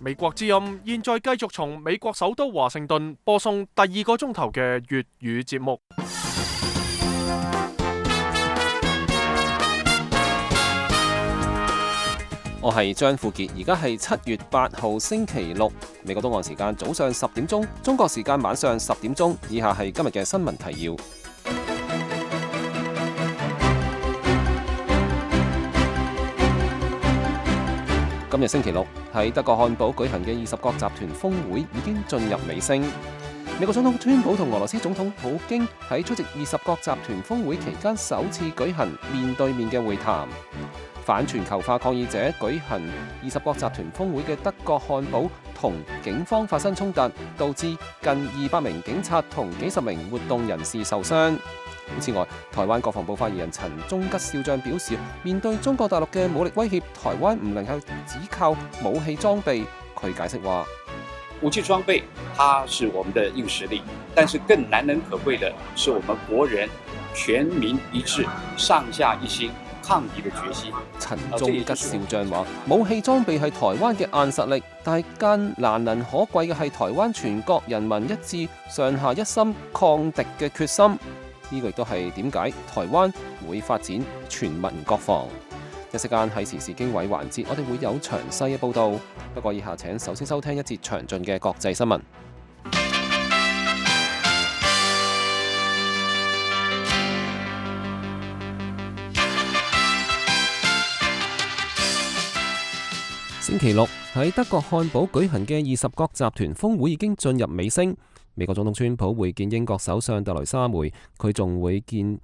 美國之音現在繼續從美國首都華盛頓播送第2個鐘頭嘅粵語節目。我係張富傑，而家係7月8號星期六，美國東岸時間早上10點鐘，中國時間晚上10點鐘。以下係今日嘅新聞提要。今日星期六喺德國漢堡舉行嘅20國集團峰會已經進入尾聲。美國總統川普同俄羅斯總統普京喺出席20國集團峰會期間首次舉行面對面嘅會談。反全球化抗議者舉行20國集團峰會嘅德國漢堡同警方發生衝突，導致近200名警察同幾十名活動人士受傷。此外，台灣國防部發言人陳忠吉少將表示，面對中國大陸嘅武力威脅，台灣唔能夠只靠武器裝備。佢解釋話，武器裝備它是我們的硬實力，但是更難能可貴的是我們國人全民一致、上下一心抗敵的決心。陳忠吉少將話，武器裝備係台灣嘅硬實力，但係更難能可貴嘅係台灣全國人民一致、上下一心抗敵嘅決心。呢個亦都係點解台灣會發展全民國防。一息間喺時事經緯環節，我哋會有詳細嘅報導。不過以下請首先收聽一節詳盡嘅國際新聞。星期六喺德國漢堡舉行嘅20國集團峰會已經進入尾聲。美國總統川普會見英國首相特蕾莎梅，佢仲會見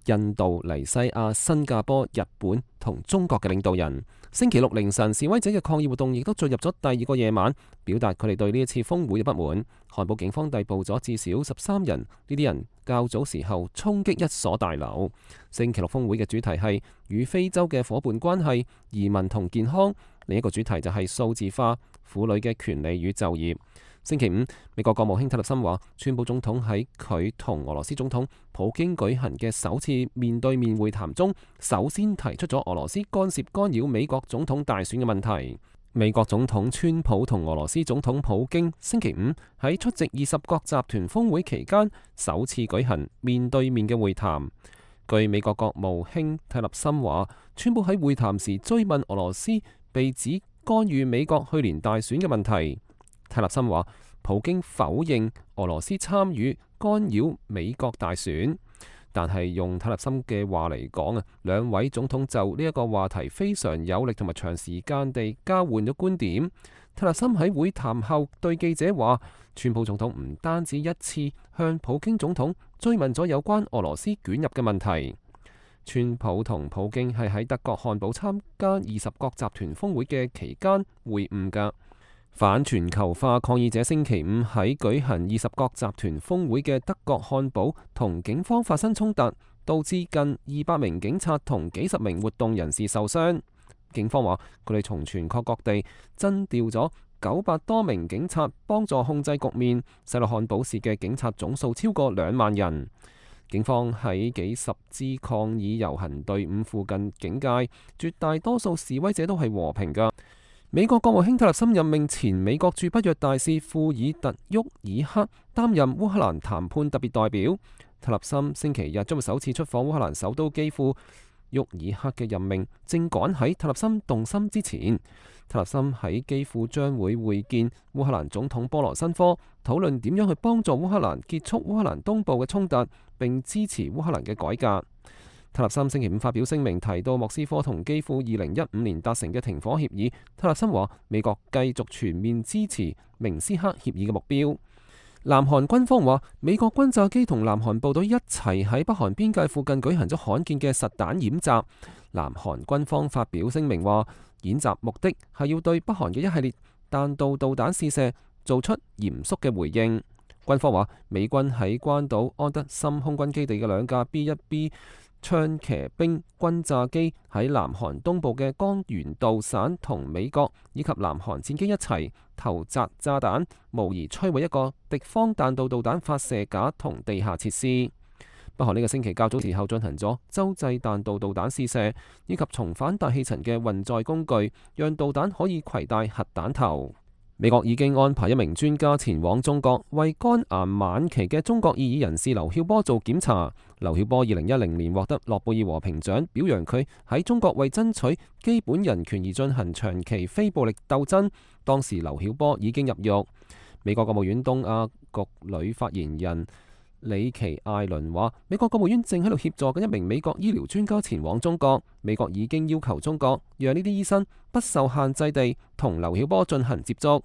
印度、尼西亞、新加坡、日本同中國嘅領導人。星期六凌晨，示威者嘅抗議活動亦都進入咗第2個夜晚，表達佢哋對呢一次峰會嘅不滿。漢堡警方逮捕咗至少13人，呢啲人較早時候衝擊一所大樓。星期六峰會嘅主題係與非洲嘅伙伴關係、移民同健康，另一個主題就係數字化、婦女嘅權利與就業。星期五，美國國務卿蒂勒森話，川普總統喺佢同俄羅斯總統普京舉行嘅首次面對面會談中，首先提出咗俄羅斯干涉干擾美國總統大選嘅問題。美國總統川普同俄羅斯總統普京星期五喺出席20國集團峰會期間，首次舉行面對面嘅會談。據美國國務卿蒂勒森話，川普喺會談時追問俄羅斯被指干預美國去年大選嘅問題。蒂勒森話，普京否認俄羅斯參與干擾美國大選，但係用蒂勒森嘅話嚟講啊，兩位總統就呢一個話題非常有力同埋長時間地交換咗觀點。蒂勒森喺會談後對記者話，川普總統唔單止一次向普京總統追問咗有關俄羅斯捲入嘅問題。川普同普京係喺德國漢堡參加20國集團峰會嘅期間會晤㗎。反全球化抗議者星期五喺舉行20國集團峰會嘅德國漢堡同警方發生衝突，導致近200名警察同幾十名活動人士受傷。警方話佢哋從全國各地徵調咗900多名警察幫助控制局面，使到漢堡市嘅警察總數超過2萬人。警方喺幾十支抗議遊行隊伍附近警戒，絕大多數示威者都係和平㗎。美國國務卿蒂勒森任命前美國駐北約大使庫爾特沃爾克擔任烏克蘭談判特別代表。蒂勒森星期日將會首次出訪烏克蘭首都基輔。沃爾克嘅任命正趕喺蒂勒森動心之前。蒂勒森喺基輔將會會見烏克蘭總統波羅申科，討論點樣去幫助烏克蘭結束烏克蘭東部嘅衝突，並支持烏克蘭嘅改革。蒂勒森星期五發表聲明，提到莫斯科同基輔2015年達成嘅停火協議。蒂勒森話，美國繼續全面支持明斯克協議嘅目標。南韓軍方話，美國轟炸機同南韓部隊一齊喺北韓邊界附近舉行咗罕見嘅實彈演習。南韓軍方發表聲明話，演習目的係要對北韓嘅一系列彈道導彈試射做出嚴肅嘅回應。軍方話，美軍喺關島安德森空軍基地嘅2架 B-1B 槍騎兵轟炸機喺南韓東部嘅江原道省同美國以及南韓戰機一齊投擲炸彈，無疑摧毀一個敵方彈道導彈發射架同地下設施。北韓呢個星期較早時候進行咗洲際彈道導彈試射，以及重返大氣層嘅運載工具，讓導彈可以攜帶核彈頭。美國已經安排一名專家前往中國，為肝癌晚期嘅中國異議人士劉曉波做檢查。劉曉波2010年獲得諾貝爾和平獎，表揚佢喺中國為爭取基本人權而進行長期非暴力鬥爭。當時劉曉波已經入獄。美國國務院東亞局女發言人里奇艾倫話：美國國務院正喺度協助緊一名美國醫療專家前往中國。美國已經要求中國讓呢啲醫生不受限制地同劉曉波進行接觸。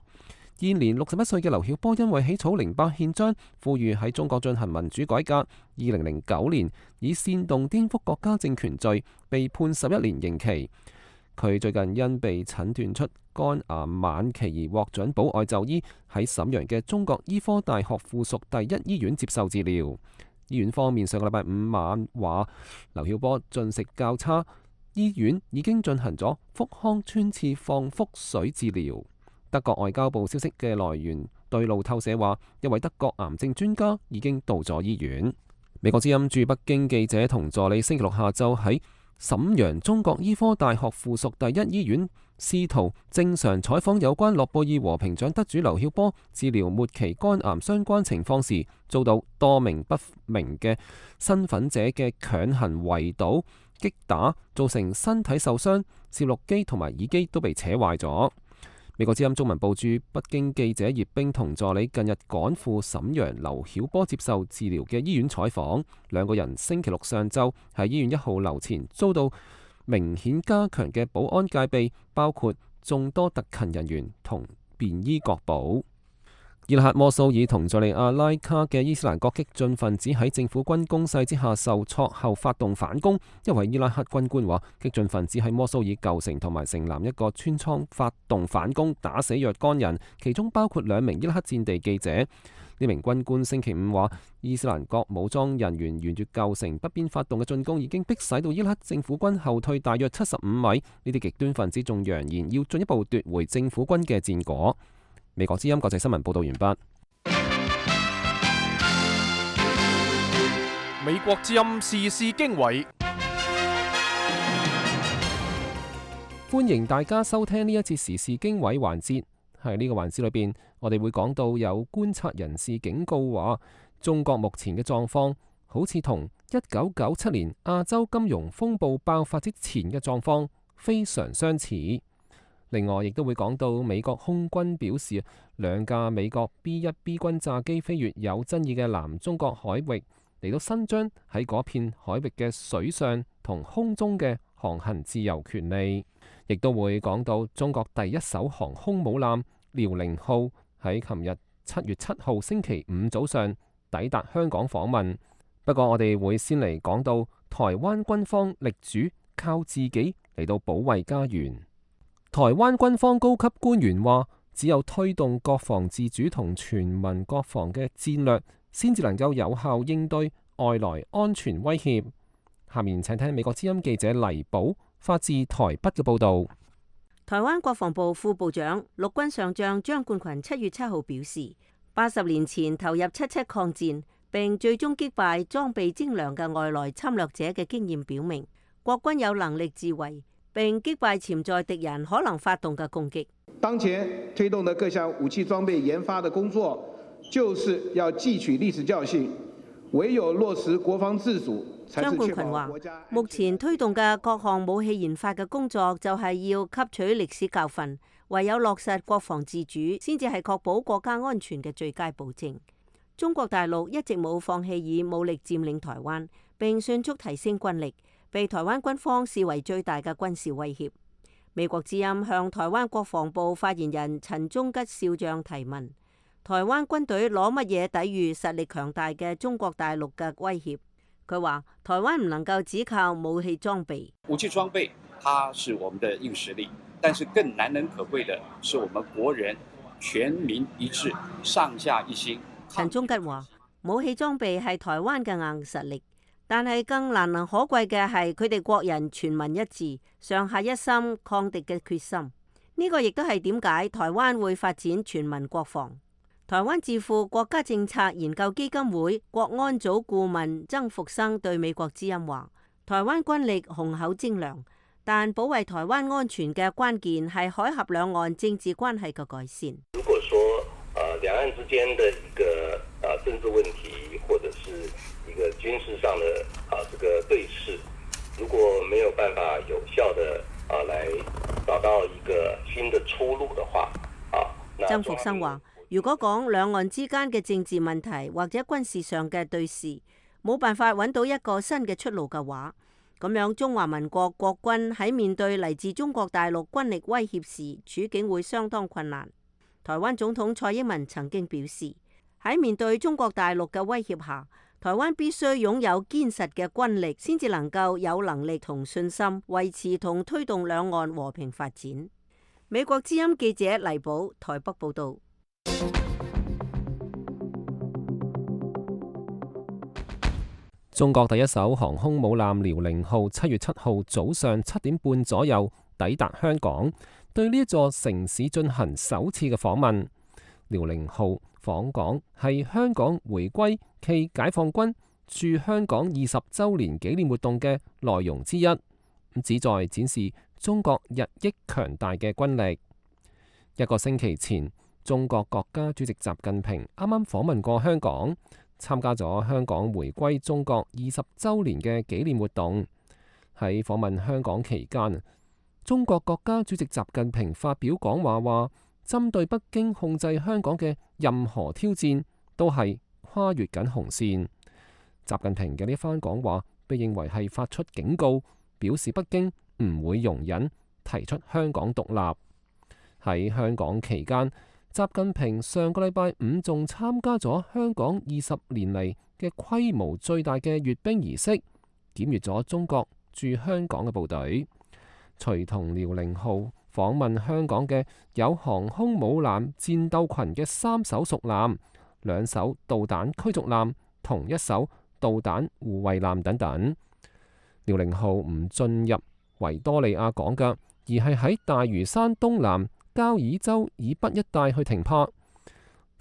現年61歲嘅劉曉波因為起草08憲章，呼籲喺中國進行民主改革，2009年以煽動顛覆國家政權罪被判11年刑期。佢最近因被診斷出肝癌晚期而獲准保外就醫，喺瀋陽嘅中國醫科大學附屬第一醫院接受治療。醫院方面上個禮拜5晚話，劉曉波進食較差，醫院已經進行咗腹腔穿刺放腹水治療。德國外交部消息嘅來源對路透社話，一位德國癌症專家已經到咗醫院。美國之音駐北京記者同助理星期六下晝喺瀋陽中國醫科大學附屬第一醫院試圖正常採訪有關諾貝爾和平獎得主劉曉波治療末期肝癌相關情況時，遭到多名不明嘅身份者嘅強行圍堵、擊打，造成身體受傷，攝錄機同埋耳機都被扯壞咗。美國之音中文部駐北京記者葉冰同助理近日趕赴瀋陽劉曉波接受治療嘅醫院採訪，兩個人星期六上晝喺醫院1號樓前遭到明顯加強嘅保安戒備，包括眾多特勤人員同便衣確保。伊拉克摩蘇爾同敘利亞拉卡嘅伊斯蘭國激進分子喺政府軍攻勢之下受挫後發動反攻。一位伊拉克軍官話，激進分子喺摩蘇爾舊城同埋城南一個村莊發動反攻，打死若干人，其中包括2名伊拉克戰地記者。呢名軍官星期5話，伊斯蘭國武裝人員沿住舊城北邊發動嘅進攻已經迫使到伊拉克政府軍後退大約75米。呢啲極端分子仲揚言要進一步奪回政府軍嘅戰果。美國之音國際新聞報道完畢。美國之音時事經緯，歡迎大家收聽呢一次時事經緯環節。喺呢個環節裏邊，我哋會講到有觀察人士警告話，中國目前嘅狀況好似同1997年亞洲金融風暴爆發之前嘅狀況非常相似。另外，亦都會講到美國空軍表示，2架美國 B-1B 軍炸機飛越有爭議嘅南中國海域，嚟到伸張喺嗰片海域嘅水上同空中嘅航行自由權利。亦都會講到中國第一艘航空母艦遼寧號喺琴日7月7號星期5早上抵達香港訪問。不過我哋會先嚟講到台灣軍方力主靠自己嚟到保衛家園。台灣軍方高級官員話，只有推動國防自主同全民國防嘅戰略，先至能夠有效應對外來安全威脅。下面請聽美國之音記者黎寶發自台北嘅報道。台灣國防部副部長陸軍上將張冠群7月7號表示，80年前投入77抗戰，並最終擊敗裝備精良嘅外來侵略者嘅經驗表明，國軍有能力自衛，並擊敗潛在敵人可能發動嘅攻擊。當前推動的各項武器裝備研發的工作，就是要汲取歷史教訓，唯有落實國防自主。張冠群話：目前推動嘅各項武器研發嘅工作，就係要吸取歷史教訓，唯有落實國防自主，先至係確保國家安全嘅最佳保證。中國大陸一直冇放棄以武力佔領台灣，並迅速提升軍力，被台灣軍方視為最大嘅軍事威脅。美國之音向台灣國防部發言人陳忠吉少將提問：台灣軍隊攞乜嘢抵禦實力強大嘅中國大陸嘅威脅？佢話：台灣唔能夠只靠武器裝備，武器裝備它是我們的硬實力，但是更難能可貴的是我們國人全民一致、上下一心。陳忠吉話：武器裝備係台灣嘅硬實力，但係更難能可貴嘅係佢哋國人全民一致、上下一心抗敵嘅決心。呢個亦都係點解台灣會發展全民國防。台灣智庫國家政策研究基金會國安組顧問曾復生對美國之音話：台灣軍力雄厚精良，但保衛台灣安全嘅關鍵係海峽兩岸政治關係嘅改善。如果說兩岸之間的一個政治問題，或者是一個軍事上的這個對峙，如果沒有辦法有效的來找到一個新的出路的話，曾復生話：如果講兩岸之間嘅政治問題或者軍事上嘅對峙，冇辦法揾到一個新嘅出路嘅話，咁樣中華民國國軍喺面對嚟自中國大陸軍力威脅時，處境會相當困難。台灣總統蔡英文曾經表示，喺面對中國大陸嘅威脅下，台灣必須擁有堅實嘅軍力，先至能夠有能力同信心維持同推動兩岸和平發展。美國之音記者黎寶台北報道。中國第一艘航空母艦遼寧號7月7號早上7點半左右抵達香港，對呢一座城市進行首次嘅訪問。遼寧號訪港係香港回歸暨解放軍駐香港20週年紀念活動嘅內容之一，旨在展示中國日益強大嘅軍力。一個星期前，中國國家主席習近平啱啱訪問過香港，參加咗香港回歸中國20週年嘅紀念活動。喺訪問香港期間，中國國家主席習近平發表講話話，針對北京控制香港嘅任何挑戰都係跨越緊紅線。習近平嘅呢番講話被認為係發出警告，表示北京唔會容忍提出香港獨立。喺香港期間，習近平上個禮拜五仲參加咗香港20年嚟嘅規模最大嘅閱兵儀式，檢閱咗中國駐香港嘅部隊。隨同遼寧號訪問香港嘅有航空母艦戰鬥群嘅3艘屬艦、2艘導彈驅逐艦同1艘導彈護衛艦等等。遼寧號唔進入維多利亞港㗎，而係喺大嶼山東南交椅洲以北一帶去停泊。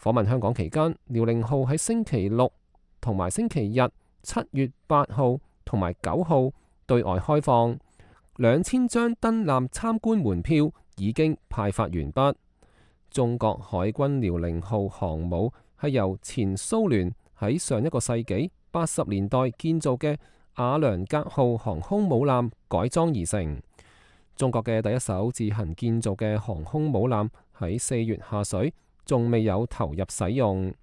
訪問香港期間，遼寧號喺星期六同埋星期日7月8號同埋9號對外開放，2000張登艦參觀門票已經派發完畢。中國海軍遼寧號航母係由前蘇聯喺上一個世紀80年代建造嘅瓦良格號航空母艦改裝而成。中國嘅第一艘自行建造嘅航空母艦喺4月下水，仲未有投入使用。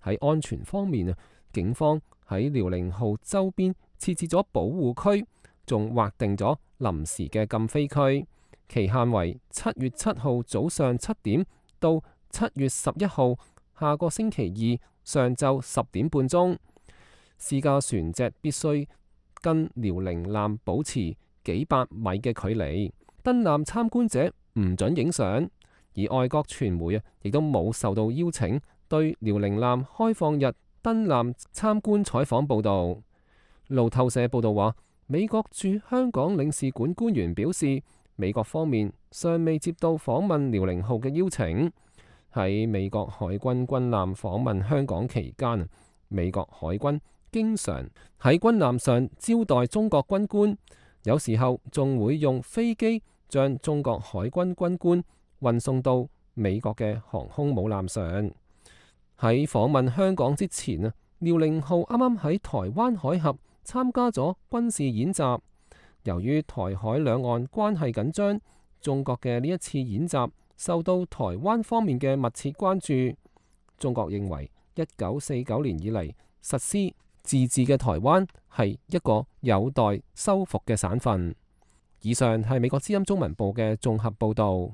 喺安全方面，警方喺遼寧號周邊設置咗保護區，仲劃定咗臨時嘅禁飛區，期限為7月7號早上7點到7月11號下個星期二上晝10點半鐘。私家船隻必須跟遼寧艦保持幾百米嘅距離，登艦參觀者唔准影相，而外國傳媒亦都冇受到邀請對遼寧艦開放日登艦參觀採訪報導。路透社報導話，美國駐香港領事館官員表示，美國方面尚未接到訪問遼寧號嘅邀請。喺美國海軍軍艦訪問香港期間，美國海軍經常喺軍艦上招待中國軍官。有時候仲會用飛機將中國海軍軍官運送到美國嘅航空母艦上。喺訪問香港之前啊，遼寧號啱啱喺台灣海峽參加咗軍事演習。由於台海兩岸關係緊張，中國嘅呢一次演習受到台灣方面嘅密切關注。中國認為1949年以嚟實施自治嘅台灣係一個有待修復嘅省份。以上係美國之音中文部嘅綜合報導。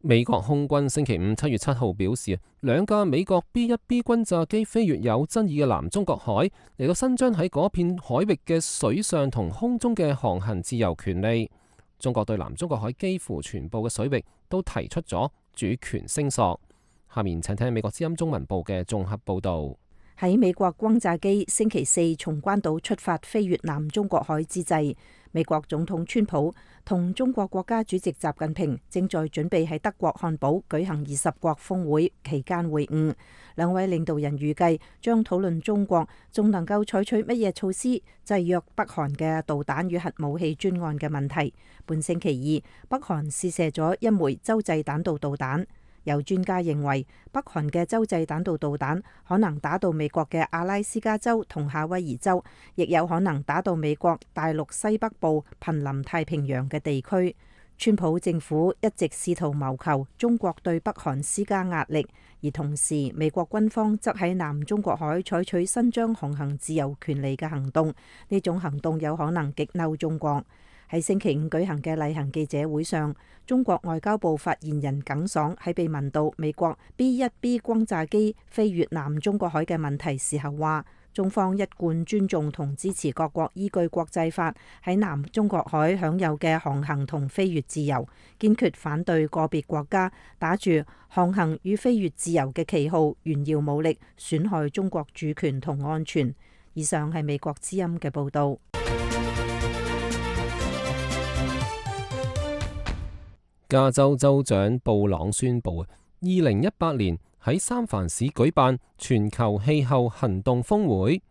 美國空軍星期五7月7號表示，2架美國 B-1B 轟炸機飛越有爭議嘅南中國海，嚟到伸張喺嗰片海域嘅水上同空中嘅航行自由權利。中國對南中國海幾乎全部嘅水域都提出咗主權聲索。下面請聽美國之音中文部嘅綜合報導。喺美國轟炸機星期四從關島出發飛越南中國海之際，美國總統川普同中國國家主席習近平正在準備喺德國漢堡舉行20國峰會期間會晤。兩位領導人預計將討論中國仲能夠採取乜嘢措施制約北韓嘅導彈與核武器專案嘅問題。本星期二，北韓試射咗一枚洲際彈道導彈。有專家認為，北韓嘅洲際彈道導彈可能打到美國嘅阿拉斯加州同夏威夷州，亦有可能打到美國大陸西北部瀕臨太平洋嘅地區。川普政府一直試圖謀求中國對北韓施加壓力，而同時美國軍方則喺南中國海採取伸張航行自由權利嘅行動，呢種行動有可能激嬲中國。喺星期五舉行嘅例行記者會上，中國外交部發言人耿爽喺被問到美國 B-1B 轟炸機飛越南中國海嘅問題時候話，中方一貫尊重同支持各國依據國際法喺南中國海享有嘅航行同飛越自由，堅決反對個別國家打住航行與飛越自由嘅旗號炫耀武力，損害中國主權同安全。以上係美國之音嘅報導。加州州長布朗宣布，2018年喺三藩市舉辦全球氣候行動峰會，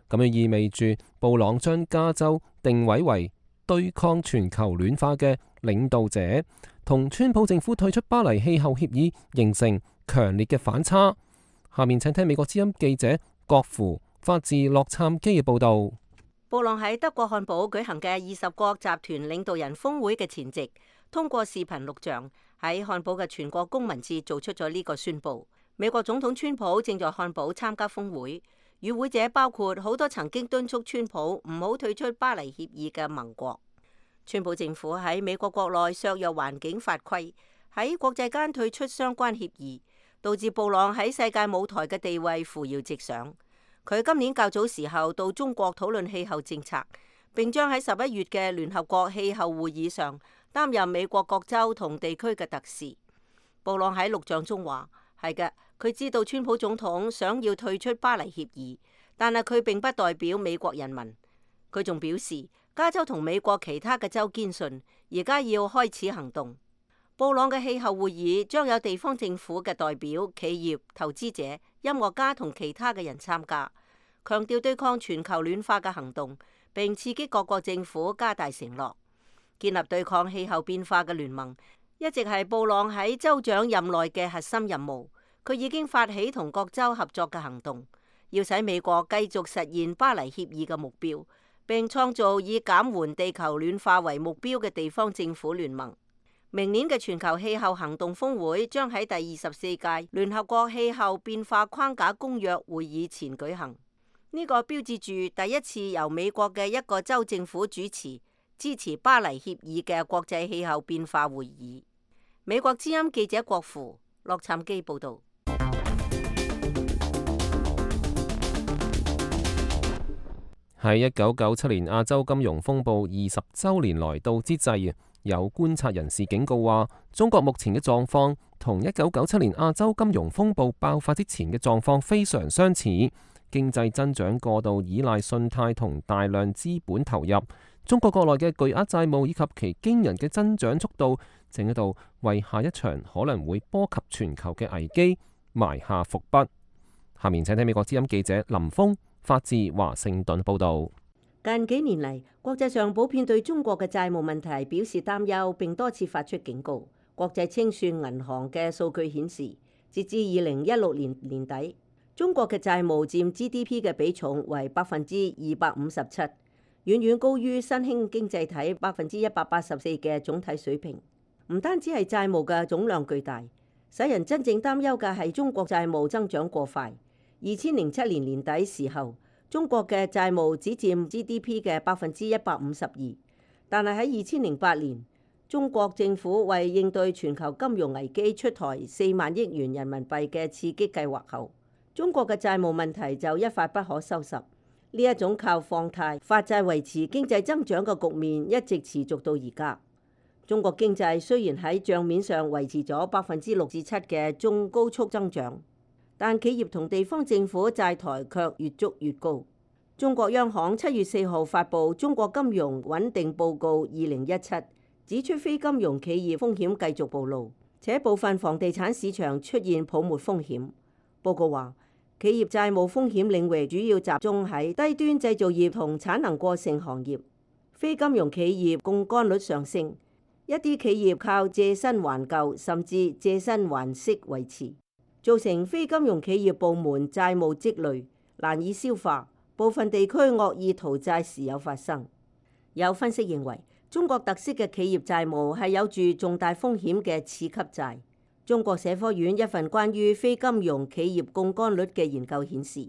咁樣意味住布朗將加州定位為對抗全球暖化嘅領導者，同川普政府退出巴黎氣候協議形成強烈嘅反差。下面請聽美國之音記者郭芙發自洛杉磯嘅報道。布朗喺德國漢堡舉行嘅20國集團領導人峰會嘅前夕，通過視頻錄像喺漢堡嘅全國公民節做出咗呢個宣佈。美國總統川普正在漢堡參加峰會，與會者包括好多曾經敦促川普唔好退出巴黎協議嘅盟國。川普政府喺美國國內削弱環境法規，喺國際間退出相關協議，導致布朗喺世界舞台嘅地位扶搖直上。佢今年較早時候到中國討論氣候政策，並將喺11月嘅聯合國氣候會議上擔任美國各州同地區嘅特使。布朗喺錄像中話：係嘅，佢知道川普總統想要退出巴黎協議，但係佢並不代表美國人民。佢仲表示，加州同美國其他嘅州堅信，而家要開始行動。布朗嘅氣候會議將有地方政府嘅代表、企業、投資者、音樂家同其他嘅人參加，強調對抗全球暖化嘅行動，並刺激各國政府加大承諾。建立對抗氣候變化嘅聯盟一直係布朗喺州長任內嘅核心任務。佢已經發起同各州合作嘅行動，要使美國繼續實現巴黎協議嘅目標，並創造以減緩地球暖化為目標嘅地方政府聯盟。明年嘅全球氣候行動峰會將喺第24屆聯合國氣候變化框架公約會議前舉行。呢個標誌住第一次由美國嘅一個州政府主持支持巴黎協議嘅國際氣候變化會議。美國之音記者郭芙洛杉磯報道。喺1997年亞洲金融風暴20週年來到之際，有觀察人士警告話，中國目前嘅狀況同1997年亞洲金融風暴爆發之前嘅狀況非常相似，經濟增長過度依賴信貸同大量資本投入，中國國內嘅巨額債務以及其驚人嘅增長速度，正喺度為下一場可能會波及全球嘅危機埋下伏筆。下面請聽美國之音記者林峰發自華盛頓報道。近幾年嚟，國際上普遍對中國嘅債務問題表示擔憂，並多次發出警告。國際清算銀行嘅數據顯示，截至2016年年底，中國嘅債務佔 GDP 嘅比重為257%，遠遠高於新興經濟體184%嘅總體水平。唔單止係債務嘅總量巨大，使人真正擔憂嘅係中國債務增長過快。2007年年底時候，中國嘅債務只佔 GDP 嘅152%，但係喺2008年，中國政府為應對全球金融危機出台4萬億元人民幣嘅刺激計劃後，中國嘅債務問題就一發不可收拾。呢一種靠放貸發債維持經濟增長嘅局面一直持續到而家。中國經濟雖然喺帳面上維持咗6%至7%嘅中高速增長，但企業同地方政府債台卻越築越高。中國央行7月4號發布《中國金融穩定報告2017》，指出非金融企業風險繼續暴露，且部分房地產市場出現泡沫風險。報告話，企業債務風險領域主要集中喺低端製造業同產能過剩行業，非金融企業槓桿率上升，一啲企業靠借新還舊，甚至借新還息維持，造成非金融企業部門債務積累，難以消化。部分地區惡意逃債時有發生。有分析認為，中國特色嘅企業債務係有住重大風險嘅次級債。中國社科院一份關於非金融企業槓桿率嘅研究顯示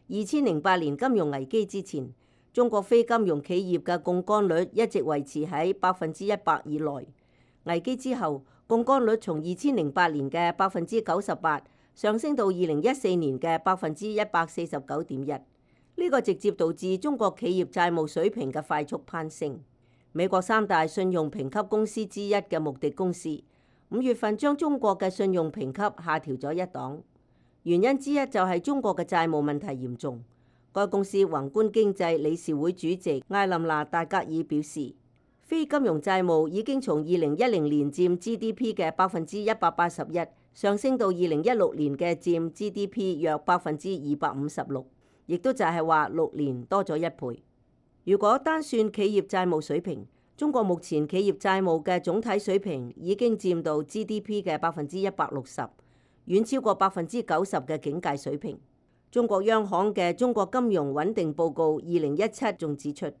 ，2008年金融危機之前，中國非金融企業嘅槓桿率一直維持喺100%以內。危機之後，槓桿率從2008年嘅98%上升到2014年嘅149.1%。呢個直接導致中國企業債務水平嘅快速攀升。美國3大信用評級公司之一嘅穆迪公司5月份將中國嘅信用評級下調咗1檔，原因之一就係中國嘅債務問題嚴重。該公司宏觀經濟理事會主席艾琳娜戴格爾表示，非金融債務已經從2010年佔 GDP 嘅181%上升到2016年嘅佔 GDP 約256%。亦都就係話6年多咗1倍。如果單算企業債務水平，中國目前企業債務嘅總體水平已經佔到 GDP 嘅160%，遠超過90%嘅警戒水平。中國央行嘅《中國金融穩定報告2017》仲指出，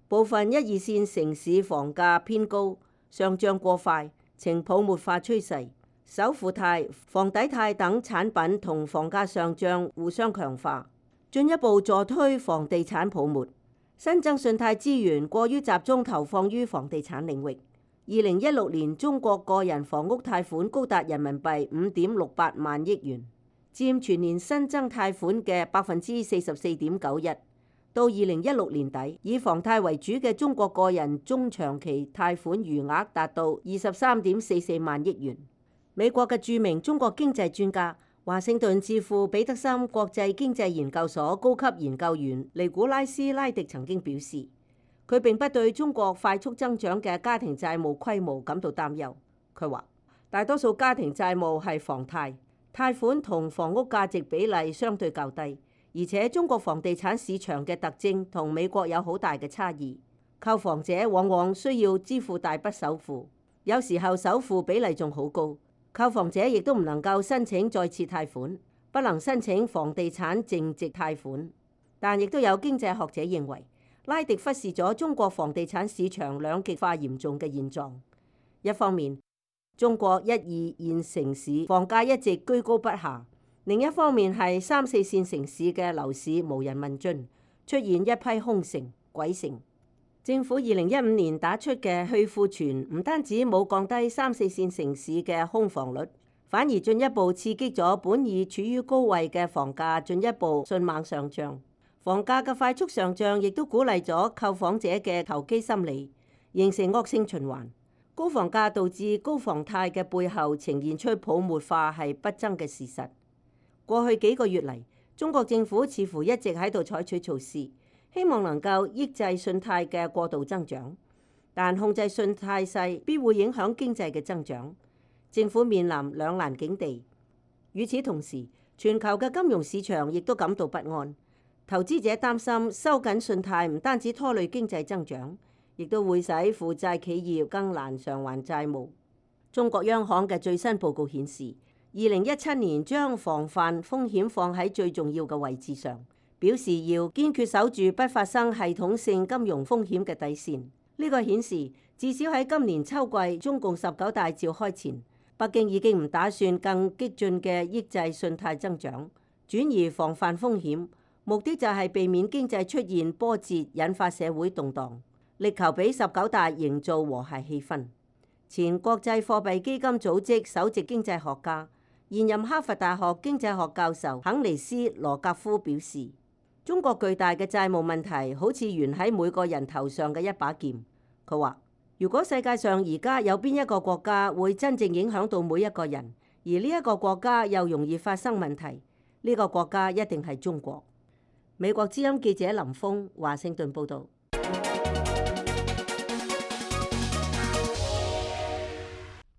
部分1、2線城市房價偏高，上漲過快，呈泡沫化趨勢。首付貸、房抵貸等產品同房價上漲互相強化，進一步助推房地產泡沫。新增信貸資源過於集中投放於房地產領域。2016年中國個人房屋貸款高達人民幣5.68萬億元，佔全年新增貸款嘅44.91%。到2016年底，以房貸為主嘅中國個人中長期貸款餘額達到23.44萬億元。美國嘅著名中國經濟專家、華盛頓智庫彼得森國際經濟研究所高級研究員尼古拉斯拉迪曾經表示，佢並不對中國快速增長嘅家庭債務規模感到擔憂。佢話，大多數家庭債務係房貸，貸款同房屋價值比例相對較低，而且中國房地產市場嘅特徵同美國有好大嘅差異。購房者往往需要支付大筆首付，有時候首付比例仲好高。購房者亦都唔能夠申請再次貸款，不能申請房地產淨值貸款。但亦都有經濟學者認為，拉迪忽視咗中國房地產市場兩極化嚴重嘅現狀。一方面，中國1、2線城市房價一直居高不下；另一方面係3、4線城市嘅樓市無人問津，出現一批空城、鬼城。政府2015年打出嘅去庫存唔單止冇降低3、4線城市嘅空房率，反而進一步刺激咗本已處於高位嘅房價進一步迅猛上漲。房價嘅快速上漲亦都鼓勵咗購房者嘅投機心理，形成惡性循環。高房價導致高房貸嘅背後呈現出泡沫化係不爭嘅事實。過去幾個月嚟，中國政府似乎一直喺度採取措施，希望能夠抑制信貸嘅過度增長，但控制信貸勢必會影響經濟嘅增長。政府面臨兩難境地。與此同時，全球嘅金融市場亦都感到不安。投資者擔心收緊信貸唔單止拖累經濟增長，亦都會使負債企業更難償還債務。中國央行嘅最新報告顯示，2017年將防範風險放喺最重要嘅位置上，表示要堅決守住不發生系統性金融風險嘅底線。呢個顯示至少喺今年秋季中共19大召開前，北京已經唔打算更激進嘅抑制信貸增長，轉而防範風險，目的就係避免經濟出現波折，引發社會動盪，力求俾19大營造和諧氣氛。前國際貨幣基金組織首席經濟學家、現任哈佛大學經濟學教授肯尼斯羅格夫表示，中國巨大嘅債務問題好似懸喺每個人頭上嘅一把劍。佢話，如果世界上而家有邊一個國家會真正影響到每一個人，而呢一個國家又容易發生問題，呢個國家一定係中國。美國之音記者林峰華盛頓報導。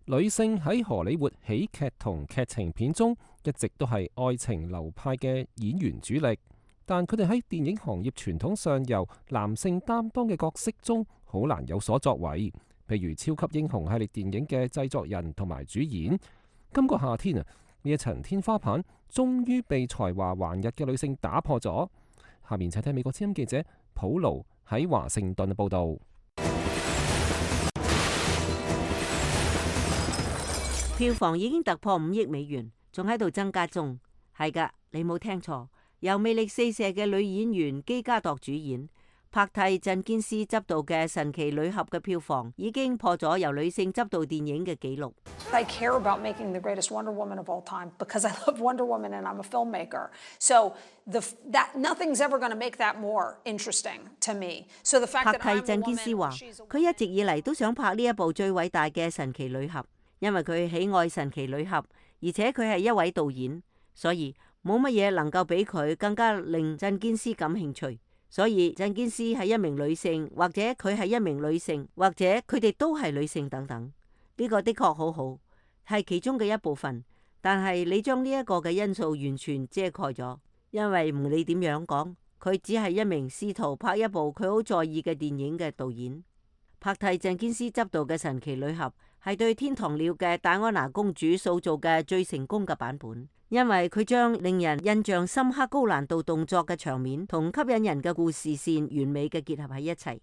女性喺荷里活喜劇同劇情片中一直都係愛情流派嘅演員主力，但佢哋喺電影行業傳統上由男性擔當嘅角色中好難有所作為。譬如超級英雄系列電影嘅製作人同埋主演。今個夏天啊，呢一層天花板終於被才華橫溢嘅女性打破咗。下面請睇美國之音記者普盧喺華盛頓嘅報導。票房已經突破5億美元，仲喺度增加中。係㗎，你冇聽錯，由魅力四射嘅女演員基加朵主演，帕蒂鎮堅斯執導嘅神奇女俠嘅票房已經破咗由女性執導電影嘅紀錄。I care about making the greatest Wonder Woman of all time because I love Wonder Woman and I'm a filmmaker. So nothing's ever going to make that more interesting to me. So the fact that 帕蒂鎮堅斯話，佢一直以嚟都想拍呢一部最偉大嘅神奇女俠，因為佢喜愛神奇女俠，而且佢係一位導演，所以冇乜嘢能夠比佢更加令鎮堅斯感興趣。所以鎮堅斯係一名女性，或者佢係一名女性，或者佢哋都係女性等等。呢個的確好好，係其中嘅一部分。但係你將呢一個嘅因素完全遮蓋咗，因為唔理點樣講，佢只係一名試圖拍一部佢好在意嘅電影嘅導演。帕蒂鎮堅斯執導嘅神奇女俠係對天堂鳥嘅戴安娜公主塑造嘅最成功嘅版本，因為佢將令人印象深刻高難度動作嘅場面同吸引人嘅故事線完美嘅結合喺一齊，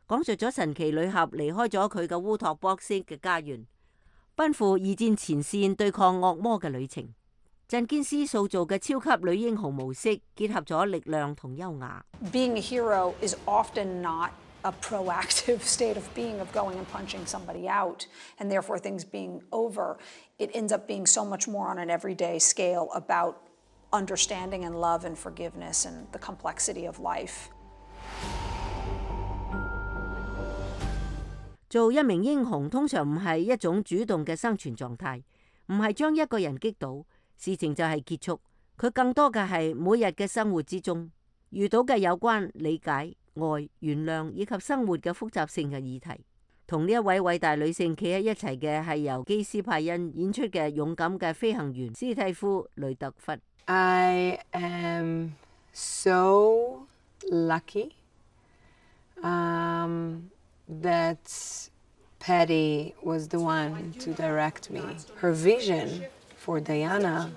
講述咗神奇女俠離開咗佢嘅烏托邦式嘅家園，奔赴二戰前線對抗惡魔嘅旅程。鎮堅斯塑造嘅超級女英雄模式結合咗力量同優雅。Being a hero is often not a proactive state of being, of going and punching somebody out, and therefore things being over. It ends up being so much more on an everyday scale about understanding and love and forgiveness and the complexity of life. 做一名英雄通常唔係一種主動嘅生存狀態，唔係將一個人擊倒，事情就係結束。佢更多嘅係每日嘅生活之中遇到嘅有關理解、愛、原諒以及生活嘅複雜性嘅議題。同呢一位偉大女性企喺一齊嘅係由基斯派恩演出嘅勇敢嘅飛行員斯蒂夫雷特弗。I am so lucky that Patty was the one to direct me. Her vision for Diana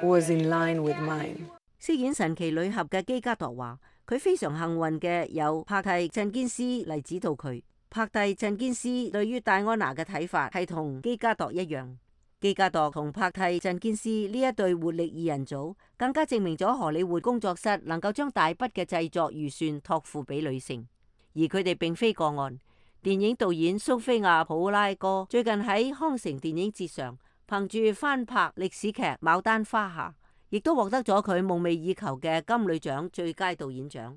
was in line with mine. 飾演神奇女俠嘅基加朵話，佢非常幸運嘅有帕蒂鎮堅斯嚟指導佢。帕蒂鎮堅斯對於戴安娜嘅睇法係同基加朵一樣。基加朵同帕蒂鎮堅斯呢一對活力二人組，更加證明咗荷里活工作室能夠將大筆嘅製作預算託付俾女性，而佢哋並非個案。電影導演蘇菲亞普拉哥最近喺康城電影節上，憑住翻拍歷史劇《牡丹花下》，亦都獲得咗佢夢寐以求嘅金女獎最佳導演獎。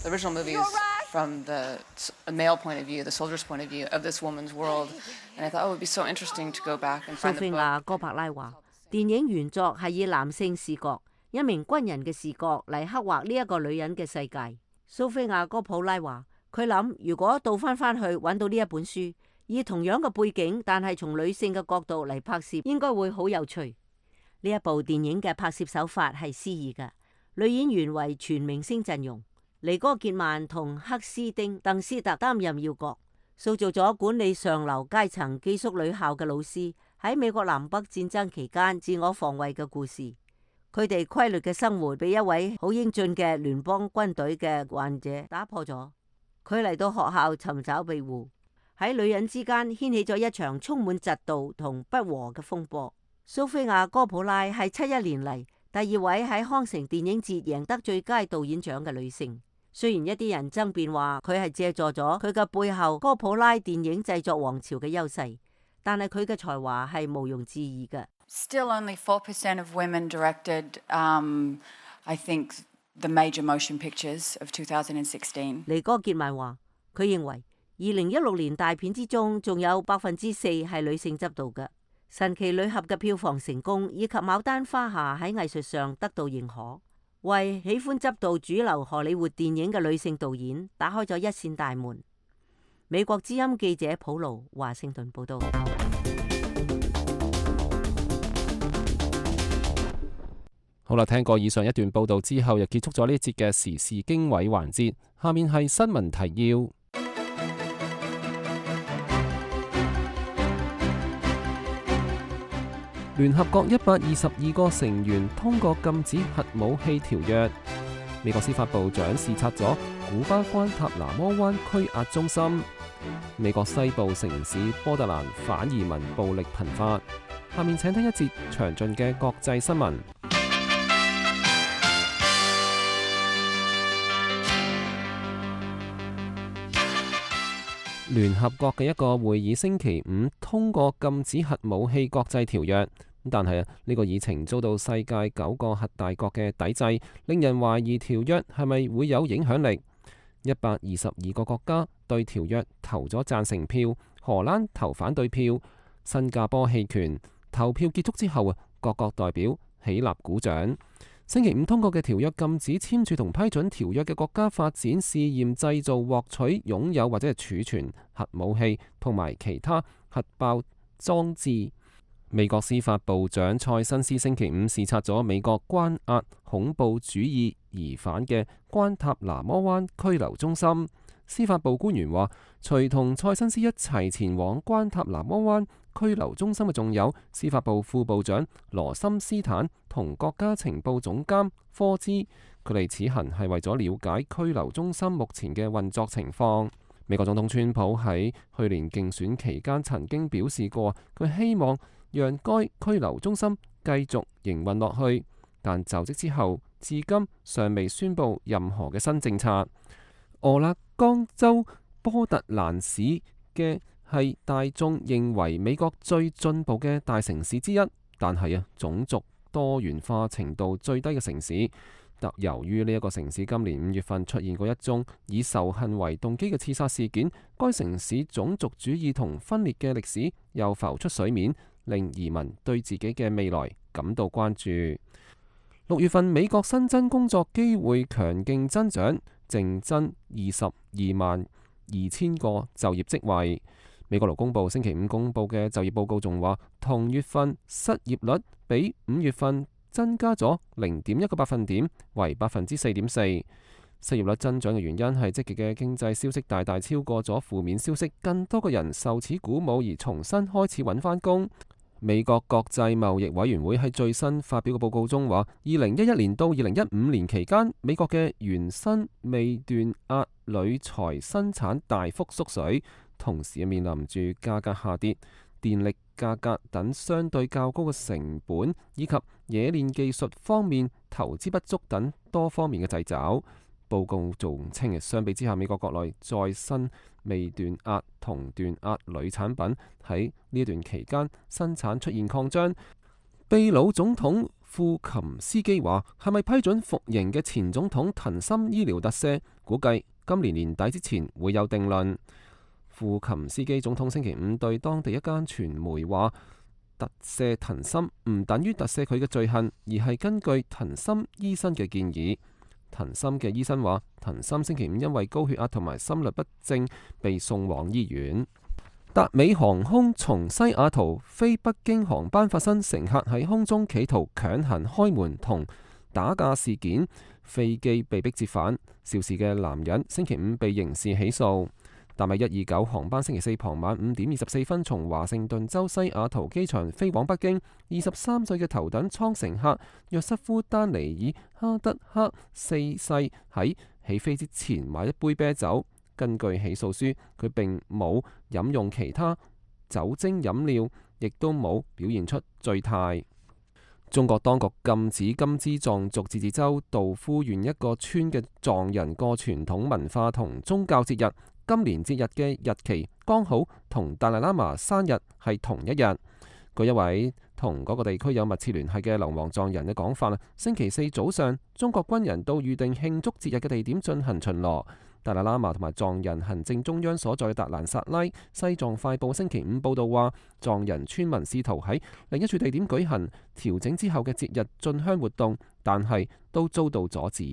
The original movie is from the male point of view, the soldier's point of view of this woman's world, and I thought it would be so interesting to go back and find the book. 蘇菲亞哥柏拉話，電影原作係以男性視角，一名軍人嘅視角嚟刻畫呢一個女人嘅世界。蘇菲亞哥普拉話，佢諗如果倒翻去揾到呢一本書，以同樣嘅背景，但係從女性嘅角度嚟拍攝，應該會好有趣。呢一部電影嘅拍攝手法係詩意嘅，女演員為全明星陣容。尼哥傑曼同克斯丁·鄧斯特擔任要角，塑造咗管理上流階層寄宿女校嘅老師喺美國南北戰爭期間自我防衛嘅故事。佢哋規律嘅生活被一位好英俊嘅聯邦軍隊嘅患者打破咗。佢嚟到學校尋找庇護，喺女人之間掀起咗一場充滿嫉妒同不和嘅風波。蘇菲亞·哥普拉係71年嚟第2位喺康城電影節贏得最佳導演獎嘅女性。雖然一啲人爭辯話佢係借助咗佢嘅背後哥普拉電影製作王朝嘅優勢，但係佢嘅才華係毋庸置疑嘅。Still only 4% of women directed, I think, the major motion pictures of 2016. 尼哥傑曼話，佢認為2016年大片之中，仲有4%係女性執導嘅。神奇女俠嘅票房成功，以及牡丹花下喺藝術上得到認可，為喜歡執導主流荷里活電影嘅女性導演打開咗一扇大門。美國之音記者普盧華盛頓報道。好啦，聽過以上一段報道之後，又結束咗呢一節嘅時事經緯環節。下面係新聞提要。聯合國122個成員通過禁止核武器條約。美國司法部長視察咗古巴關塔那摩灣拘押中心。美國西部城市波特蘭反移民暴力頻發。下面請聽一節詳盡嘅國際新聞。聯合國嘅一個會議星期五通過禁止核武器國際條約，但係呢個議程遭到世界9個核大國嘅抵制，令人懷疑條約係咪會有影響力。122個國家對條約投咗贊成票，荷蘭投反對票，新加坡棄權。投票結束之後各國代表起立鼓掌。星期五通過嘅條約禁止簽署同批准條約嘅國家發展、試驗、製造、獲取、擁有或者係儲存核武器同埋其他核爆裝置。美國司法部長塞申斯星期五視察咗美國關押恐怖主義疑犯嘅關塔那摩灣拘留中心。司法部官員話，隨同塞申斯一齊前往關塔那摩灣拘留中心嘅仲有司法部副部長羅森斯坦同國家情報總監科茲，佢哋此行係為咗了解拘留中心目前嘅運作情況。美國總統川普喺去年競選期間曾經表示過，佢希望讓該拘留中心繼續營運落去，但就職之後至今尚未宣布任何嘅新政策。俄勒岡州波特蘭市嘅係大眾認為美國最進步嘅大城市之一，但係種族多元化程度最低嘅城市。由於呢一個城市今年5月份出現過一宗以仇恨為動機嘅刺殺事件，該城市種族主義同分裂嘅歷史又浮出水面，令移民對自己嘅未來感到關注。6月份美國新增工作機會強勁增長，淨增222000個就業職位。美國勞工部星期五公布嘅就業報告仲話，同月份失業率比5月份增加咗0.1個百分點，為4.4%。失業率增長嘅原因係積極嘅經濟消息大大超過咗負面消息，更多嘅人受此鼓舞而重新開始揾返工。美國國際貿易委員會喺最新發表嘅報告中話，2011年到2015年期間，美國嘅原生未斷壓鋁材生產大幅縮水，同時面臨住價格下跌、電力價格等相對較高嘅成本，以及冶煉技術方面投資不足等多方面嘅掣肘。報告仲稱，相比之下，美國國內再生未斷壓同斷壓鋁產品喺呢一段期間生產出現擴張。秘魯總統庫琴斯基話，係咪批准服刑嘅前總統藤森醫療特赦？估計今年年底之前會有定論。庫琴斯基總統星期五對當地一間傳媒話，特赦藤森唔等於特赦佢嘅罪行，而係根據藤森醫生嘅建議。藤森嘅醫生話，藤森星期五因為高血壓同埋心律不正被送往醫院。達美航空從西雅圖飛北京航班發生乘客喺空中企圖強行開門同打架事件，飛機被迫折返，肇事嘅男人星期五被刑事起訴。達美129航班星期四傍晚5點24分從華盛頓州西雅圖機場飛往北京。23歲嘅頭等艙乘客約瑟夫丹尼爾哈德克4世喺起飛之前買一杯啤酒。根據起訴書，佢並冇飲用其他酒精飲料，亦都冇表現出醉態。中國當局禁止甘孜藏族自治州道夫縣一個村嘅藏人過傳統文化同宗教節日。今年節日嘅日期剛好同達賴喇嘛生日係同一日。據一位同嗰個地區有密切聯繫嘅流亡藏人嘅講法啦，星期四早上，中國軍人到預定慶祝節日嘅地點進行巡邏。達賴喇嘛同埋藏人行政中央所在達蘭薩拉，西藏快報星期五報道話，藏人村民試圖喺另一處地點舉行調整之後嘅節日進香活動，但係都遭到阻止。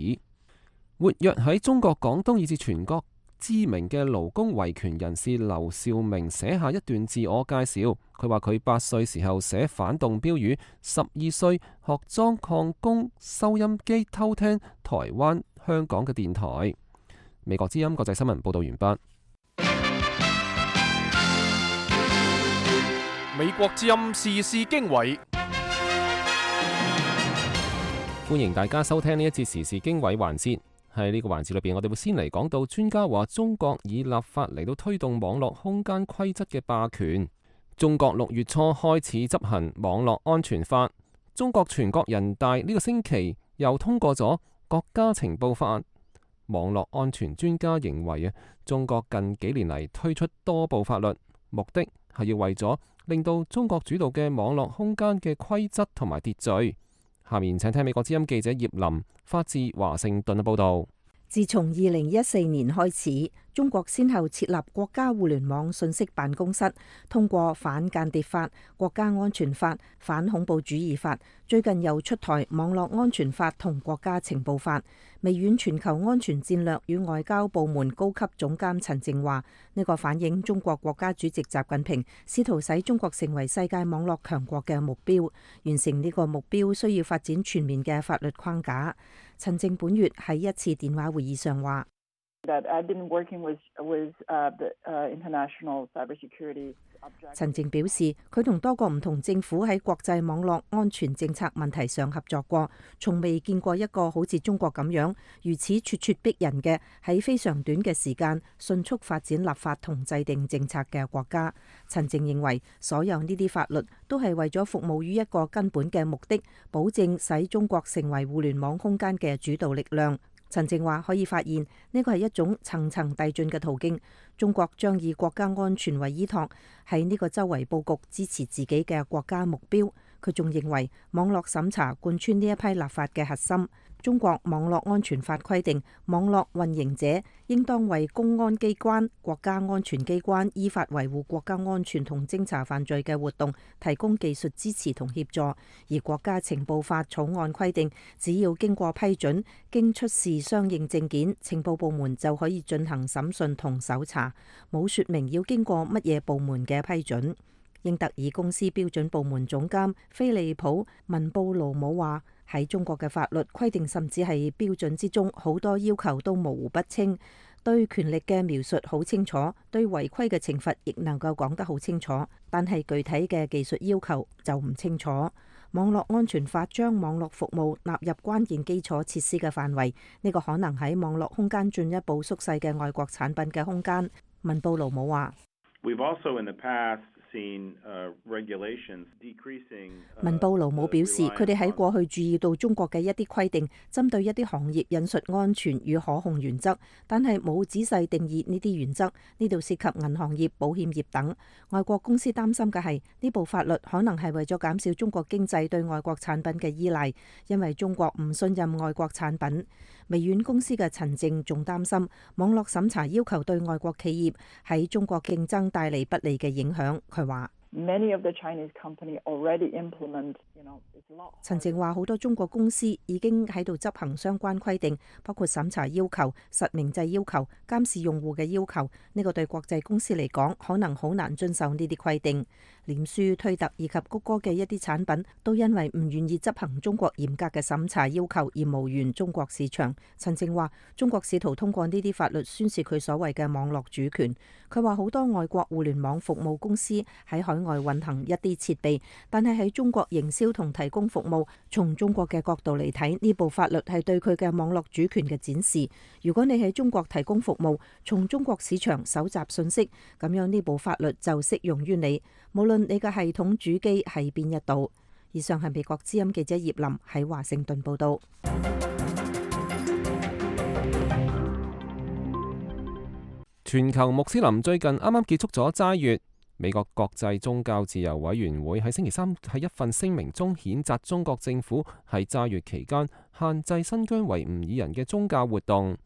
活躍喺中國廣東以至全國知名嘅勞工維權人士劉兆明寫下一段自我介紹。佢話佢8歲時候寫反動標語，12歲學裝礦工收音機偷聽台灣、香港嘅電台。美國之音國際新聞報道完畢。美國之音時事經緯，歡迎大家收聽呢一節時事經緯環節。喺呢個環節裏邊，我哋會先嚟講到專家話中國以立法嚟到推動網絡空間規則嘅霸權。中國6月初開始執行網絡安全法，中國全國人大呢個星期又通過咗國家情報法。網絡安全專家認為中國近幾年嚟推出多部法律，目的係要為咗令到中國主導嘅網絡空間嘅規則同埋秩序。下面請聽美國之音記者葉林發自華盛頓嘅報道。自從2014年開始，中國先後設立國家互聯網信息辦公室，通過反間諜法、國家安全法、反恐怖主義法，最近又出台網絡安全法同國家情報法。微軟全球安全戰略與外交部門高級總監陳靜話：呢個反映中國國家主席習近平試圖使中國成為世界網絡強國嘅目標。完成呢個目標需要發展全面嘅法律框架。陳靜本月喺一次電話會議上話：陳靜表示，佢同多個唔同政府喺國際網絡安全政策問題上合作過，從未見過一個好似中國咁樣如此咄咄逼人嘅喺非常短嘅時間迅速發展立法同制定政策嘅國家。陳靜認為，所有呢啲法律都係為咗服務於一個根本嘅目的，保證使中國成為互聯網空間嘅主導力量。陳靜話可以發現呢個係一種層層遞進嘅途徑，中國將以國家安全為依託，喺呢個周圍佈局支持自己嘅國家目標。佢仲認為網絡審查貫穿呢一批立法嘅核心。中國網絡安全法規定，網絡運營者應當為公安機關、國家安全機關依法維護國家安全同偵查犯罪嘅活動提供技術支持同協助。而國家情報法草案規定，只要經過批准，經出示相應證件，情報部門就可以進行審訊同搜查，冇說明要經過乜嘢部門嘅批准。英特爾公司標準部門總監菲利普文布魯姆話：喺中國嘅法律規定，甚至係標準之中，好多要求都模糊不清，對權力嘅描述好清楚，對違規嘅懲罰亦能夠講得好清楚，但係具體嘅技術要求就唔清楚。網絡安全法將網絡服務納入關鍵基礎設施嘅範圍，呢個可能喺網絡空間進一步縮細嘅外國產品嘅空間。文布魯姆話：文布魯姆表示，佢哋喺過去注意到中國嘅一啲規定，針對一啲行業引述安全與可控原則，但係冇仔細定義呢啲原則。呢度涉及銀行業、保險業等。外國公司擔心嘅係呢部法律可能係為咗減少中國經濟對外國產品嘅依賴，因為中國唔信任外國產品。微軟公司嘅陳靜仲擔心網絡審查要求對外國企業喺中國競爭帶嚟不利嘅影響。佢話：陳靜話好多中國公司已經喺度執行相關規定，包括審查要求、實名制要求、監視用戶嘅要求。呢個對國際公司嚟講可能好難遵守呢啲規定。臉書、推特以及谷歌嘅一啲產品都因為唔願意執行中國嚴格嘅審查要求而無緣中國市場。陳靜話中國試圖通過呢啲法律宣示佢所謂嘅網絡主權。佢話好多外國互聯網服務公司喺海外運行一啲設備，但係喺中國營銷同提供服務。從中國嘅角度嚟睇，呢部法律係對佢嘅網絡主權嘅展示。如果你喺中國提供服務，從中國市場搜集信息，咁樣呢部法律就適用於你，無論你嘅系統主機喺邊一度。以上係美國之音記者葉林喺華盛頓報道。全球穆斯林最近啱啱結束咗齋月，美國國際宗教自由委員會喺星期三喺一份聲明中譴責中國政府喺齋月期間限制新疆維吾爾人嘅宗教活動。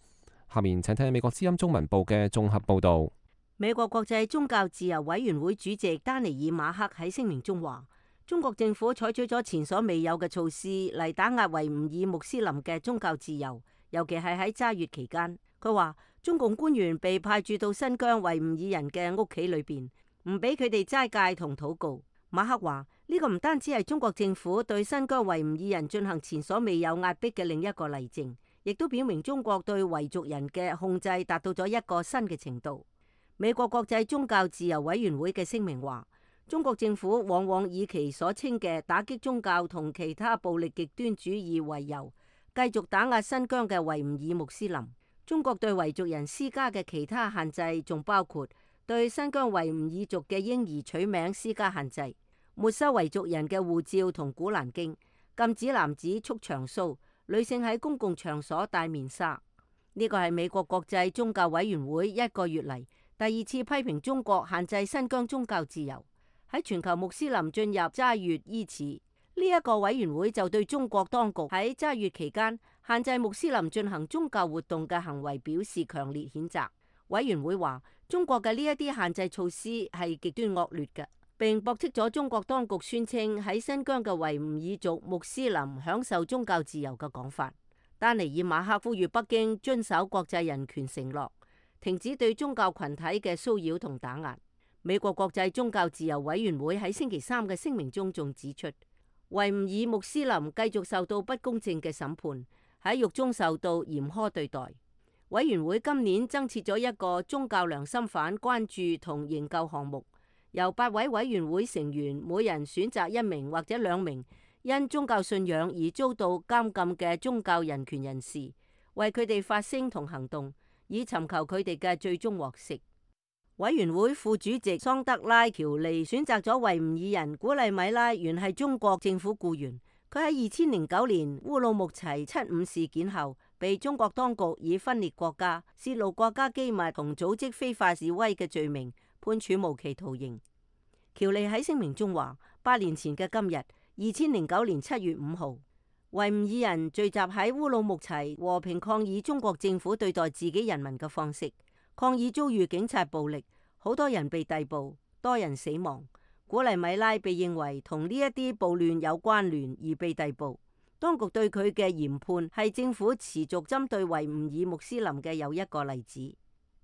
下面請聽美國之音中文部嘅綜合報導。美國國際宗教自由委員會主席丹尼爾馬克喺聲明中話，中國政府採取咗前所未有嘅措施嚟打壓維吾爾穆斯林嘅宗教自由，尤其係喺齋月期間。佢話中共官員被派駐到新疆維吾爾人嘅屋企裏邊，唔俾佢哋齋戒同禱告。馬克話呢個唔單止係中國政府對新疆維吾爾人進行前所未有壓迫嘅另一個例證，亦都表明中國對維族人嘅控制達到咗一個新嘅程度。美國國際宗教自由委員會嘅聲明話，中國政府往往以其所稱嘅打擊宗教同其他暴力極端主義為由，繼續打壓新疆嘅維吾爾穆斯林。中國對維族人施加嘅其他限制仲包括對新疆維吾爾族嘅嬰兒取名施加限制，沒收維族人嘅護照同古蘭經，禁止男子束長鬚，女性喺公共場所戴面紗。呢個係美國國際宗教委員會一個月嚟第二次批評中國限制新疆宗教自由。喺全球穆斯林進入齋月伊始，呢一個委員會就對中國當局喺齋月期間限制穆斯林進行宗教活動嘅行為表示強烈譴責。委員會話，中國嘅呢一啲限制措施係極端惡劣嘅，並駁斥咗中國當局宣稱喺新疆嘅維吾爾族穆斯林享受宗教自由嘅講法。丹尼爾馬克呼籲北京遵守國際人權承諾，停止對宗教群體嘅騷擾同打壓。美國國際宗教自由委員會喺星期三嘅聲明中仲指出，維吾爾穆斯林繼續受到不公正嘅審判，喺獄中受到嚴苛對待。委員會今年增設咗一個宗教良心犯關注同營救項目，由8位委員會成員每人選擇1名或者2名因宗教信仰而遭到監禁嘅宗教人權人士，為佢哋發聲同行動，以尋求佢哋嘅最終獲釋。委員會副主席桑德拉喬利選擇咗維吾爾人古麗米拉，原係中國政府僱員。佢喺2009年烏魯木齊75事件後，被中國當局以分裂國家、泄露國家機密同組織非法示威嘅罪名判處無期徒刑。喬利喺聲明中話：8年前嘅今日，2009年7月5號，維吾爾人聚集喺烏魯木齊和平抗議中國政府對待自己人民嘅方式，抗議遭遇警察暴力，好多人被逮捕，多人死亡。古麗米拉被認為同呢一啲暴亂有關聯而被逮捕，當局對佢嘅嚴判係政府持續針對維吾爾穆斯林嘅又一個例子。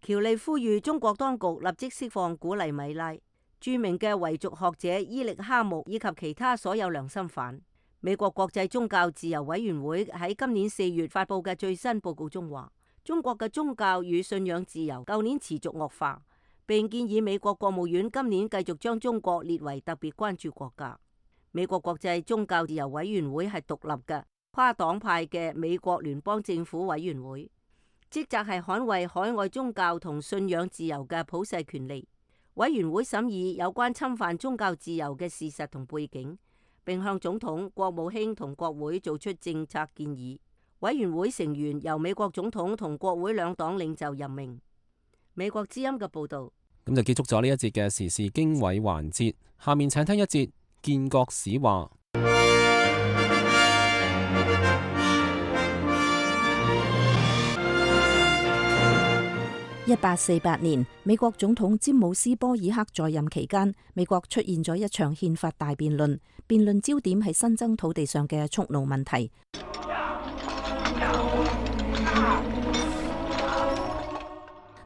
喬利呼籲中國當局立即釋放古麗米拉、著名嘅維族學者伊力哈木以及其他所有良心犯。美國國際宗教自由委員會喺今年4月發佈嘅最新報告中話，中國嘅宗教與信仰自由舊年持續惡化，並建議美國國務院今年繼續將中國列為特別關注國家。美國國際宗教自由委員會係獨立嘅跨黨派嘅美國聯邦政府委員會，職責係捍衛海外宗教同信仰自由嘅普世權利。委員會審議有關侵犯宗教自由嘅事實同背景，並向總統、國務卿同國會做出政策建議。委員會成員由美國總統同國會兩黨領袖任命。美國之音嘅報道。咁就結束咗呢一節嘅時事經緯環節，下面請聽一節建國史話。1848年，美國總統詹姆斯波爾克在任期間，美國出現咗一場憲法大辯論，辯論焦點係新增土地上嘅蓄奴問題。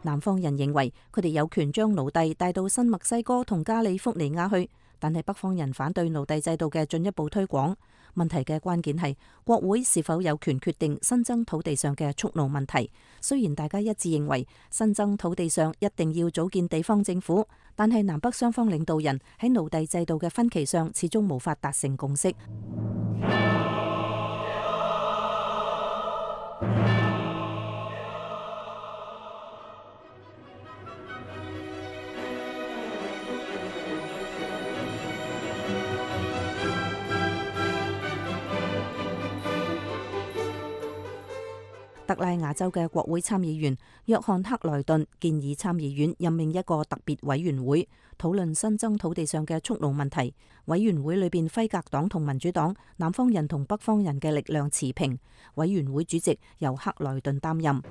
南方人認為佢哋有權將奴隸帶到新墨西哥同加利福尼亞去，但係北方人反對奴隸制度嘅進一步推廣。問題嘅關鍵係國會是否有權決定新增土地上嘅蓄奴問題。雖然大家一致認為新增土地上一定要組建地方政府，但係南北雙方領導人喺奴隸制度嘅分歧上始終無法達成共識。特拉亞州嘅國會參議員約翰克萊頓建議參議院任命一個特別委員會，討論新增土地上嘅蓄奴問題。委員會裏邊輝格黨同民主黨、南方人同北方人嘅力量持平。委員會主席由克萊頓擔任。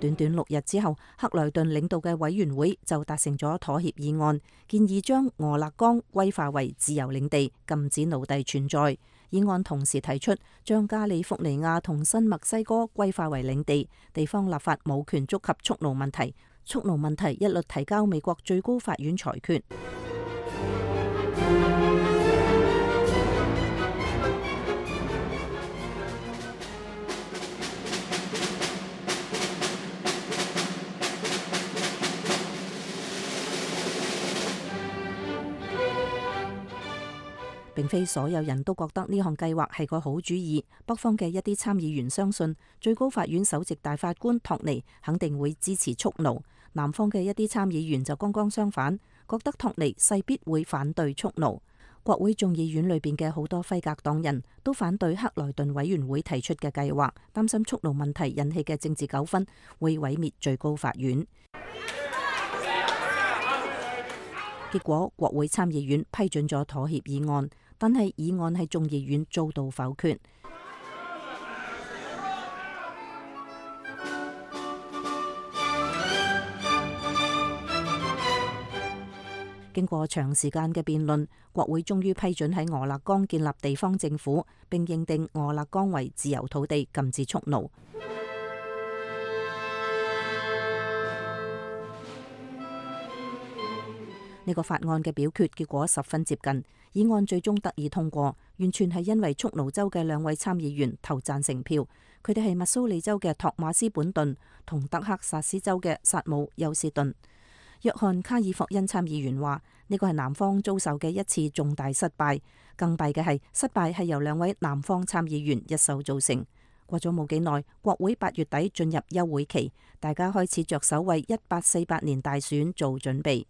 短短6日之後，克萊頓領導嘅委員會就達成咗妥協議案，建議將俄勒岡歸化為自由領地，禁止奴隸存在。議案同時提出將加利福尼亞同新墨西哥歸化為領地，地方立法冇權觸及蓄奴問題。蓄奴問題一律提交美國最高法院裁決。並非所有人都覺得呢項計劃係個好主意。北方嘅一啲參議員相信最高法院首席大法官托尼肯定會支持蓄奴，南方嘅一啲參議員就剛剛相反，覺得托尼勢必會反對蓄奴。國會眾議院裏邊嘅好多輝格黨人都反對克萊頓委員會提出嘅計劃，擔心蓄奴問題引起嘅政治糾紛會毀滅最高法院。結果國會參議院批准咗妥協議案，但係議案喺眾議院遭到否決。經過長時間嘅辯論，國會終於批准喺俄勒岡建立地方政府，並認定俄勒岡為自由土地，禁止蓄奴。呢個法案嘅表決結果十分接近，議案最終得以通過，完全係因為蓄奴州嘅2位參議員投贊成票。佢哋係密蘇里州嘅托馬斯本頓同德克薩斯州嘅薩姆休斯頓。約翰卡爾霍恩參議員話：呢個係南方遭受嘅一次重大失敗，更弊嘅係失敗係由2位南方參議員一手造成。過咗冇幾耐，國會8月底進入休會期，大家開始着手為1848年大選做準備。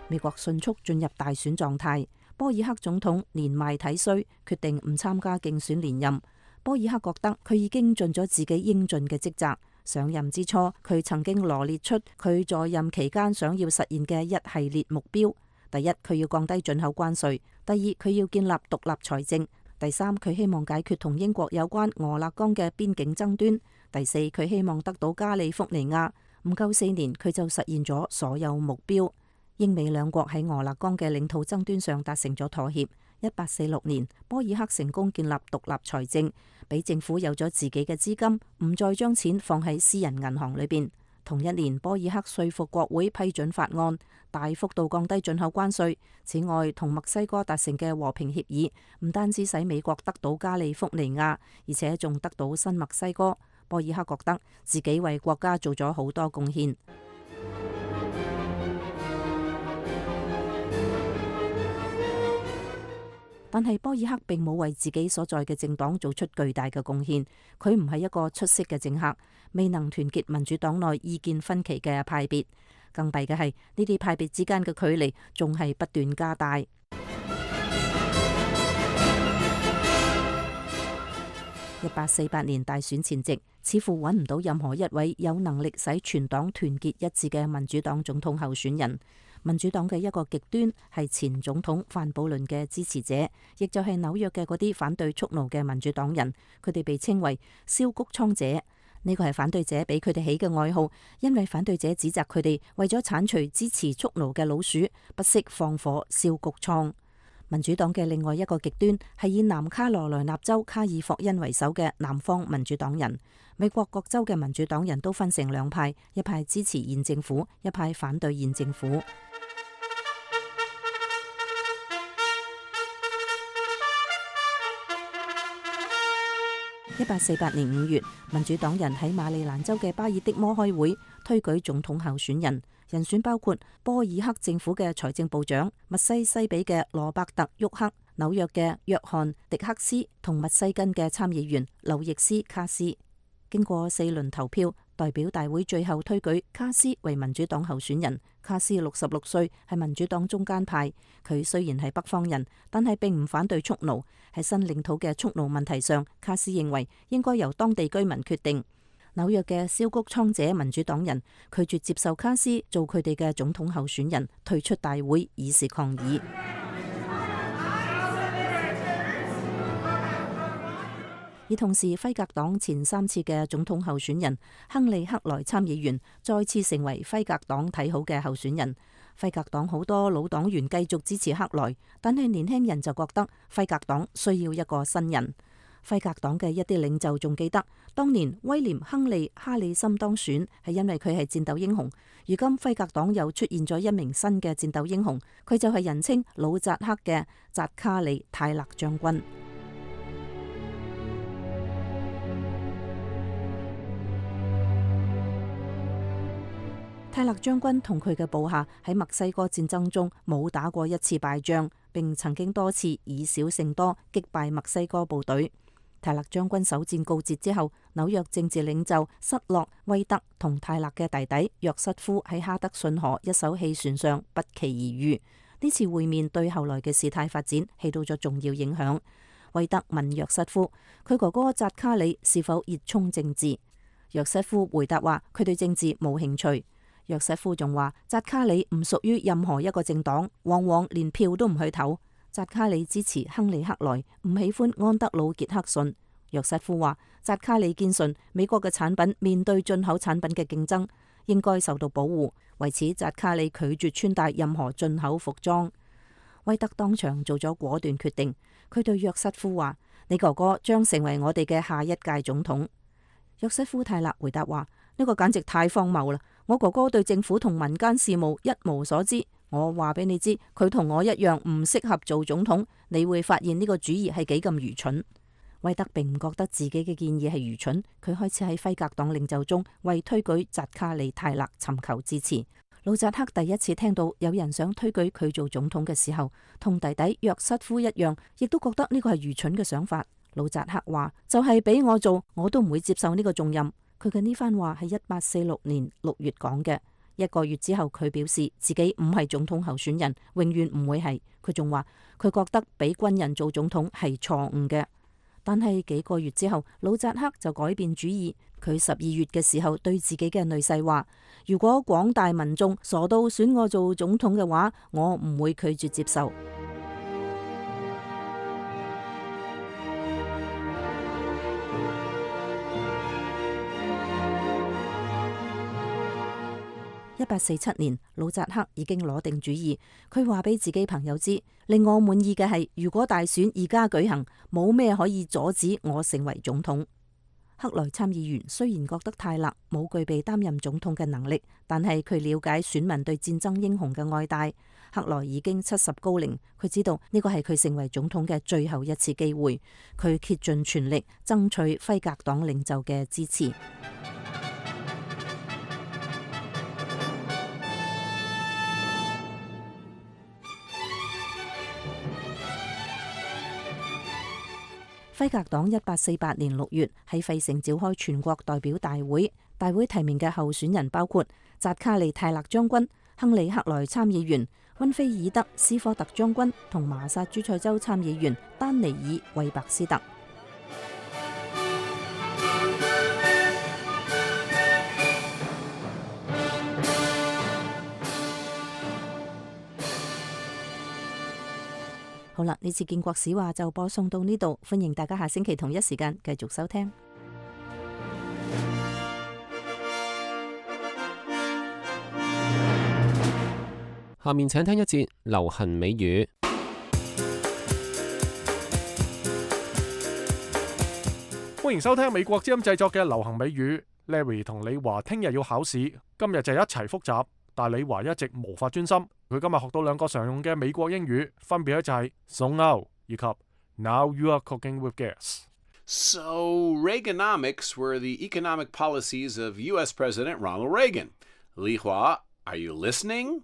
美國迅速進入大選狀態，波爾克總統年邁體衰，決定唔參加競選連任。波爾克覺得佢已經盡咗自己應盡嘅職責。上任之初，佢曾經羅列出佢在任期間想要實現嘅一系列目標。第一，佢要降低進口關稅；第二，佢要建立獨立財政；第三，佢希望解決同英國有關俄勒岡嘅邊境爭端；第四，佢希望得到加利福尼亞。唔夠4年，佢就實現咗所有目標。英美兩國喺俄勒岡嘅領土爭端上達成咗妥協。1846年，波爾克成功建立獨立財政，俾政府有咗自己嘅資金，唔再將錢放喺私人銀行裏邊。同一年，波爾克說服國會批准法案，大幅度降低進口關稅。此外，同墨西哥達成嘅和平協議，唔單止使美國得到加利福尼亞，而且仲得到新墨西哥。波爾克覺得自己為國家做咗好多貢獻。但係波爾克並冇為自己所在嘅政黨做出巨大嘅貢獻，佢唔係一個出色嘅政客，未能團結民主黨內意見分歧嘅派別。更弊嘅係呢啲派別之間嘅距離仲係不斷加大。1848年大選前夕，似乎揾唔到任何一位有能力使全黨團結一致嘅民主黨總統候選人。民主黨嘅一個極端係前總統范布倫嘅支持者，亦就係紐約嘅嗰啲反對蓄奴嘅民主黨人，佢哋被稱為燒谷倉者。呢個係反對者俾佢哋起嘅外號，因為反對者指責佢哋為咗剷除支持蓄奴嘅老鼠，不惜放火燒谷倉。民主黨嘅另外一個極端係以南卡羅來納州卡爾霍恩為首嘅南方民主黨人。美國各州嘅民主黨人都分成2派，一派支持現政府，一派反對現政府。1848年5月，民主黨人喺馬里蘭州嘅巴爾的摩開會，推舉總統候選人，人選包括波爾克政府嘅財政部長、密西西比嘅羅伯特沃克、紐約嘅約翰迪克斯同密西根嘅參議員劉易斯卡斯。經過4輪投票，代表大會最後推舉卡斯為民主黨候選人。卡斯66歲，係民主黨中間派。佢雖然係北方人，但係並唔反對蓄奴。喺新領土嘅蓄奴問題上，卡斯認為應該由當地居民決定。紐約嘅蕭谷倉者民主黨人拒絕接受卡斯做佢哋嘅總統候選人，退出大會以示抗議。而同時，輝格黨前3次嘅總統候選人亨利克萊參議員再次成為輝格黨睇好嘅候選人。輝格黨好多老黨員繼續支持克萊，但係年輕人就覺得輝格黨需要一個新人。輝格黨嘅一啲領袖仲記得，當年威廉·亨利·哈里森當選係因為佢係戰鬥英雄。如今輝格黨又出現咗一名新嘅戰鬥英雄，佢就係人稱老扎克嘅扎卡里·泰勒將軍。泰勒將軍同佢嘅部下喺墨西哥戰爭中冇打過一次敗仗，並曾經多次以少勝多擊敗墨西哥部隊。泰勒將軍首戰告捷之後，紐約政治領袖塞洛威特同泰勒嘅弟弟約瑟夫喺哈德遜河一艘汽船上不期而遇。呢次會面對後來嘅事態發展起到咗重要影響。威特問約瑟夫，佢哥哥扎卡里是否熱衷政治？約瑟夫回答話，佢對政治冇興趣。約瑟夫仲話，扎卡里唔屬於任何一個政黨，往往連票都唔去投。扎卡里支持亨利克萊，唔喜歡安德魯傑克遜。約瑟夫話，扎卡里堅信美國嘅產品面對進口產品嘅競爭，應該受到保護。為此，扎卡里拒絕穿戴任何進口服裝。威特當場做咗果斷決定，佢對約瑟夫話，你哥哥將成為我哋嘅下一屆總統。約瑟夫泰勒回答話，呢個簡直太荒謬啦！我哥哥對政府同民間事務一無所知，我話俾你知，佢同我一樣唔適合做總統。你會發現呢個主意係幾咁愚蠢。威特並唔覺得自己嘅建議係愚蠢，佢開始喺輝格黨領袖中為推舉扎卡里泰勒尋求支持。老扎克第一次聽到有人想推舉佢做總統嘅時候，同弟弟約瑟夫一樣，亦都覺得呢個係愚蠢嘅想法。老扎克話，就係俾我做，我都唔會接受呢個重任。佢嘅呢番話係1846年6月講嘅。1個月之後，佢表示自己唔係總統候選人，永遠唔會係。佢仲話佢覺得俾軍人做總統係錯誤嘅。但係幾個月之後，老扎克就改變主意。佢12月嘅時候對自己嘅女婿話，如果廣大民眾傻到選我做總統嘅話，我唔會拒絕接受。1847年，老扎克已經攞定主意。佢話俾自己朋友知，令我滿意嘅係，如果大選而家舉行，冇咩可以阻止我成為總統。克萊參議員雖然覺得泰勒冇具備擔任總統嘅能力，但係佢了解選民對戰爭英雄嘅愛戴。克萊已經70高齡，佢知道呢個係佢成為總統嘅最後一次機會。佢竭盡全力爭取輝格黨領袖嘅支持。輝格黨1848年6月喺費城召開全國代表大會，大會提名嘅候選人包括扎卡利泰勒將軍、亨利克萊參議員、溫菲爾德斯科特將軍同麻薩諸塞州參議員丹尼爾韋伯斯特。好啦，呢次建國史話就播送到呢度，歡迎大家下星期同一時間繼續收聽。下面請聽一節流行美語。歡迎收聽美國之音製作嘅流行美語。Larry 同李華聽日要考試，今日就一齊複習，但李華一直無法專心。佢今日學到2個常用嘅美國英語，分別咧就係 So now 以及 Now you are cooking with gas。 So Reaganomics were the economic policies of U.S. President Ronald Reagan. 李華 are you listening?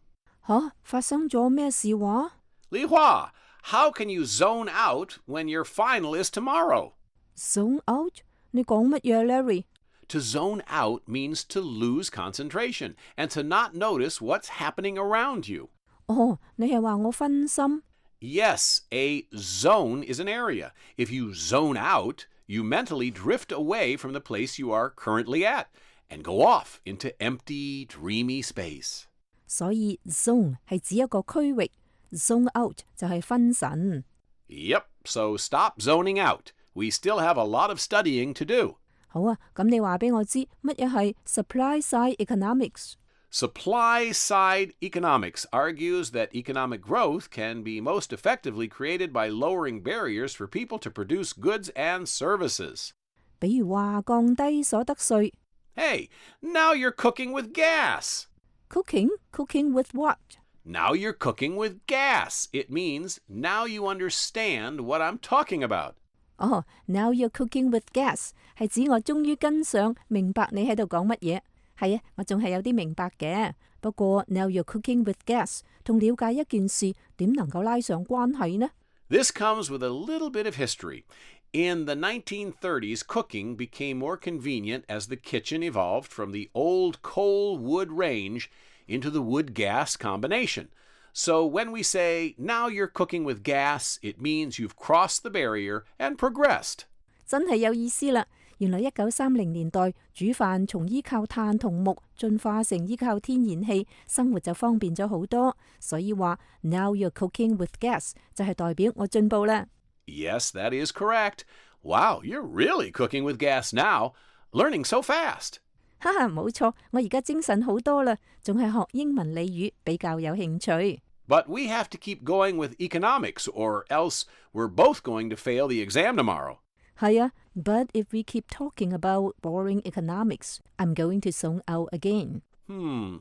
發生咗咩事話？李華 how can you zone out when your final is tomorrow? Zone out？ 你講乜嘢 Larry？ To zone out means to lose concentration and to not notice what's happening around you. 哦，你係話我分心？ Yes, a zone is an area. If you zone out, you mentally drift away from the place you are currently at and go off into empty, dreamy space. 所以 zone 係指一個區域 ，zone out 就係分神。Yep, so stop zoning out. We still have a lot of studying to do. 好啊，咁你話俾我知乜嘢係 supply side economics？ Supply side economics argues that economic growth can be most effectively created by lowering barriers for people to produce goods and services. 比如話降低所得稅。Hey, now you're cooking with gas. Cooking with what? Now you're cooking with gas. It means now you understand what I'm talking about. 哦 ，Now you're cooking with gas 係指我終於跟上明白你喺度講乜嘢。係啊，我仲係有啲明白嘅。不過 Now you're cooking with gas 同了解一件事點能夠拉上關係呢？ This comes with a little bit of history. In the 1930s, cooking became more convenient as the kitchen evolved from the old coal-wood range into the wood-gas combination. So when we say, now you're cooking with gas, it means you've crossed the barrier and progressed. 真係有意思啦！原來1930年代煮飯從依靠炭同木進化成依靠天然氣，生活就方便咗好多。所以話 Now you're cooking with gas 就係代表我進步啦。Yes, that is correct. Wow, you're really cooking with gas now. Learning so fast. 哈哈，冇錯，我而家精神好多啦，仲係學英文俚語比較有興趣。But we have to keep going with economics, or else we're both going to fail the exam tomorrow. 係啊 ，But if we keep talking about boring economics, I'm going to zone out again.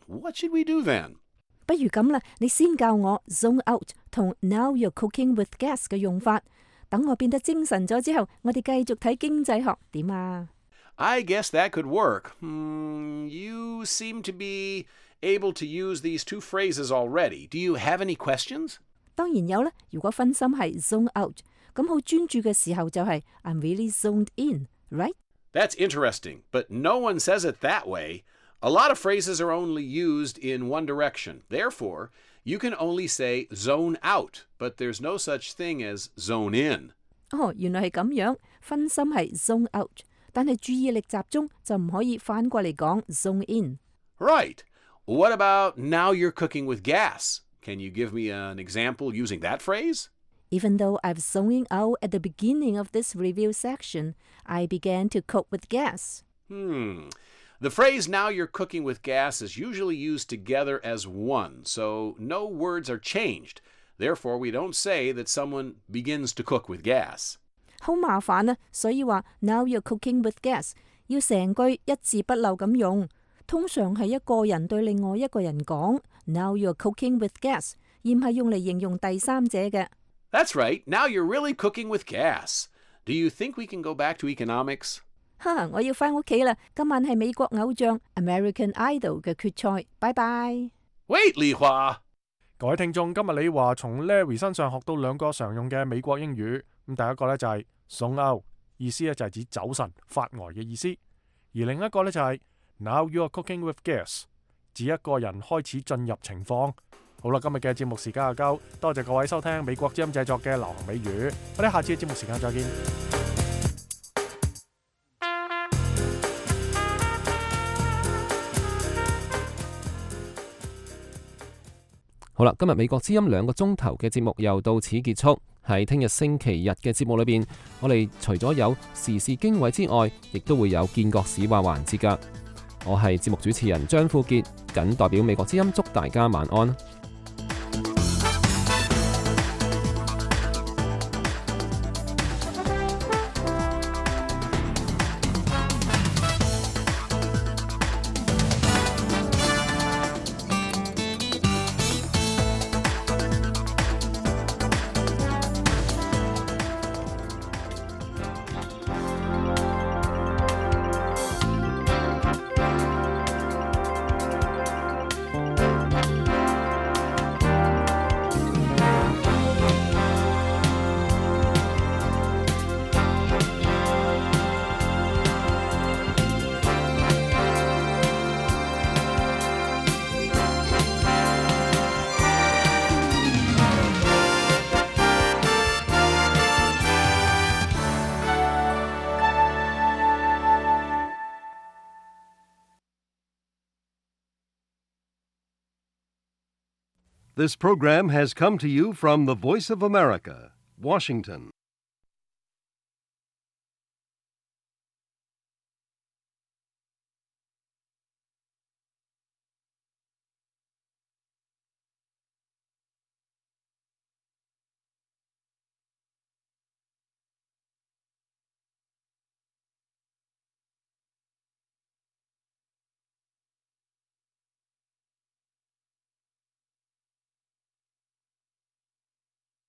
What should we do then? 不如咁啦，你先教我 zone out 同 Now you're cooking with gas 嘅用法。等我變得精神咗之後，我哋繼續睇經濟學點啊？ I guess that could work. You seem to be able to use these two phrases already. Do you have any questions? 當然有啦。如果分心係 zone out，咁好專注嘅時候就係 I'm really zoned in, right? That's interesting, but no one says it that way. A lot of phrases are only used in one direction. Therefore, you can only say zone out, but there's no such thing as zone in. 哦，原來係咁樣，分心係 zone out，但係注意力集中就唔可以反過嚟講 zone in。 Right. What about now you're cooking with gas? Can you give me an example using that phrase? Even though I've zoning out at the beginning of this review section, I began to cook with gas. The phrase now you're cooking with gas is usually used together as one, so no words are changed. Therefore, we don't say that someone begins to cook with gas. 好麻煩啊，所以話 Now you're cooking with gas 要成句一字不漏咁用。通常係一個人對另外一個人講 Now you're cooking with gas， 而唔係用嚟形容第三者嘅。That's right. Now you're really cooking with gas. Do you think we can go back to economics? 哈，我要返屋企啦！今晚係美國偶像 American Idol 嘅決賽，拜拜。Wait, Li Hua！ 各位聽眾，今日李華從 Larry 身上學到兩個常用嘅美國英語。咁第一個呢就係 zone out， 意思呢就係指走神、發呆嘅意思；而另一個呢就係 Now you are cooking with gas， 指一個人開始進入情況。好啦，今日嘅節目時間就夠，多謝各位收聽美國之音製作嘅流行美語，我哋下次嘅節目時間再見。好啦，今日美國之音2個鐘頭嘅節目又到此結束。喺聽日星期日嘅節目裏邊，我哋除咗有時事經緯之外，亦都會有見國史話環節㗎。我係節目主持人張富傑，謹代表美國之音祝大家晚安。This program has come to you from the Voice of America, Washington.